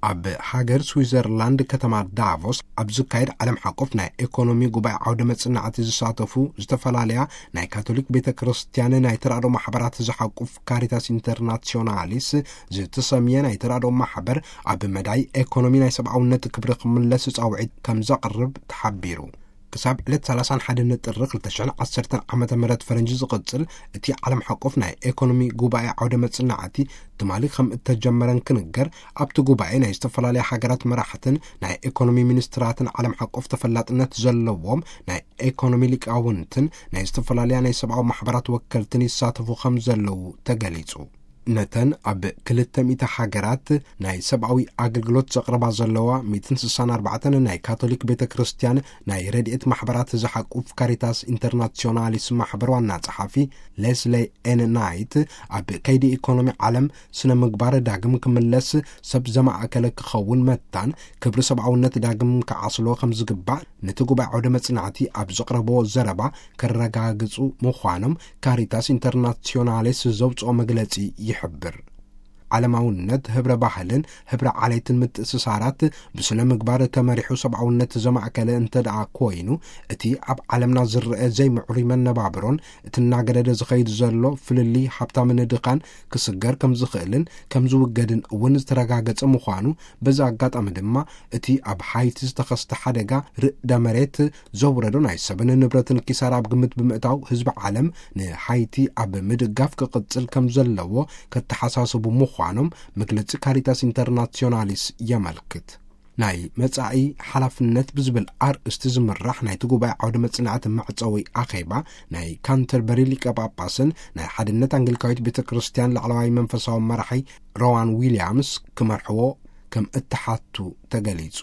ኣብ ሃገር ስዊዘርላንድ ከተማ ዳቮስ ኣብ ዝካየድ ዓለም ሓቆፍ ናይ ኤኮኖሚ ጉባኤ ዓውደ መጽናዕቲ ዝሳተፉ ዝተፈላለያ ናይ ካቶሊክ ቤተ ክርስቲያን ናይ ተራድኦ ማሕበራት ዝሓቁፍ ካሪታስ ኢንተርናሲዮናሊስ ዝተሰምየ ናይ ተራድኦ ማሕበር፣ ኣብ መዳይ ኤኮኖሚ ናይ ሰብኣውነት ክብሪ ክምለስ ጻውዒት ከም ዘቕርብ ተሓቢሩ። ክሳብ ዕለት ሰላሳን ሓደን ጥሪ ክልተ ሽሕን ዓሰርተን ዓመተ ምህረት ፈረንጂ ዝቕጽል እቲ ዓለም ሓቆፍ ናይ ኤኮኖሚ ጉባኤ ዓውደ መጽናዕቲ ትማሊ ከም እተጀመረን ክንገር፣ ኣብቲ ጉባኤ ናይ ዝተፈላለያ ሃገራት መራሕትን ናይ ኤኮኖሚ ሚኒስትራትን ዓለም ሓቆፍ ተፈላጥነት ዘለዎም ናይ ኤኮኖሚ ሊቃውንትን ናይ ዝተፈላለያ ናይ ሰብኣዊ ማሕበራት ወከልትን ይሳተፉ ከም ዘለዉ ተገሊጹ። ነተን ኣብ ክልተ ሚእቲ ሃገራት ናይ ሰብኣዊ ኣገልግሎት ዘቕርባ ዘለዋ ሚእትን ስሳን ኣርባዕተን ናይ ካቶሊክ ቤተ ክርስቲያን ናይ ረድኤት ማሕበራት ዝሓቁፍ ካሪታስ ኢንተርናሲዮናሊስ ማሕበር ዋና ጸሓፊ ሌስሌ ኤን ናይት፣ ኣብ ከይዲ ኢኮኖሚ ዓለም ስነ ምግባር ዳግም ክምለስ ሰብ ዘማእከለ ክኸውን መታን ክብሪ ሰብኣውነት ዳግም ክዓስሎ ከም ዝግባእ ነቲ ጉባኤ ዓውደ መጽናዕቲ ኣብ ዘቕረቦ ዘረባ ከረጋግጹ ምዃኖም ካሪታስ ኢንተርናሲዮናሌስ ዘውጽኦ መግለጺ ይሕብር። ዓለማውነት፣ ህብረ ባህልን ህብረ ዓሌትን ምትእስሳራት ብስነ ምግባር ተመሪሑ ሰብኣውነት ዘማእከለ እንተ ደኣ ኮይኑ፣ እቲ ኣብ ዓለምና ዝረአ ዘይምዕሩይ መነባብሮን እቲ እናገደደ ዝኸይድ ዘሎ ፍልልይ ሃብታምን ድኻን ክስገር ከም ዝኽእልን ከም ዝውገድን እውን ዝተረጋገጸ ምዃኑ፣ በዚ ኣጋጣሚ ድማ እቲ ኣብ ሃይቲ ዝተኸስተ ሓደጋ ርእደ መሬት ዘውረዶ ናይ ሰብን ንብረትን ኪሳራ ኣብ ግምት ብምእታው፣ ህዝቢ ዓለም ንሃይቲ ኣብ ምድጋፍ ክቕጽል ከም ዘለዎ ከተሓሳስቡ ምዃኖም መግለጺ ካሪታስ ኢንተርናሲዮናሊስ የመልክት። ናይ መጻኢ ሓላፍነት ብዝብል ኣርእስቲ ዝምራሕ ናይቲ ጉባኤ ዓውደ መጽናዕቲ መዕጸዊ ኣኼባ ናይ ካንተርበሪ ሊቀ ጳጳስን ናይ ሓድነት ኣንግሊካዊት ቤተ ክርስቲያን ላዕለዋይ መንፈሳዊ መራሒ ሮዋን ዊልያምስ ክመርሕዎ ከም እተሓቱ ተገሊጹ።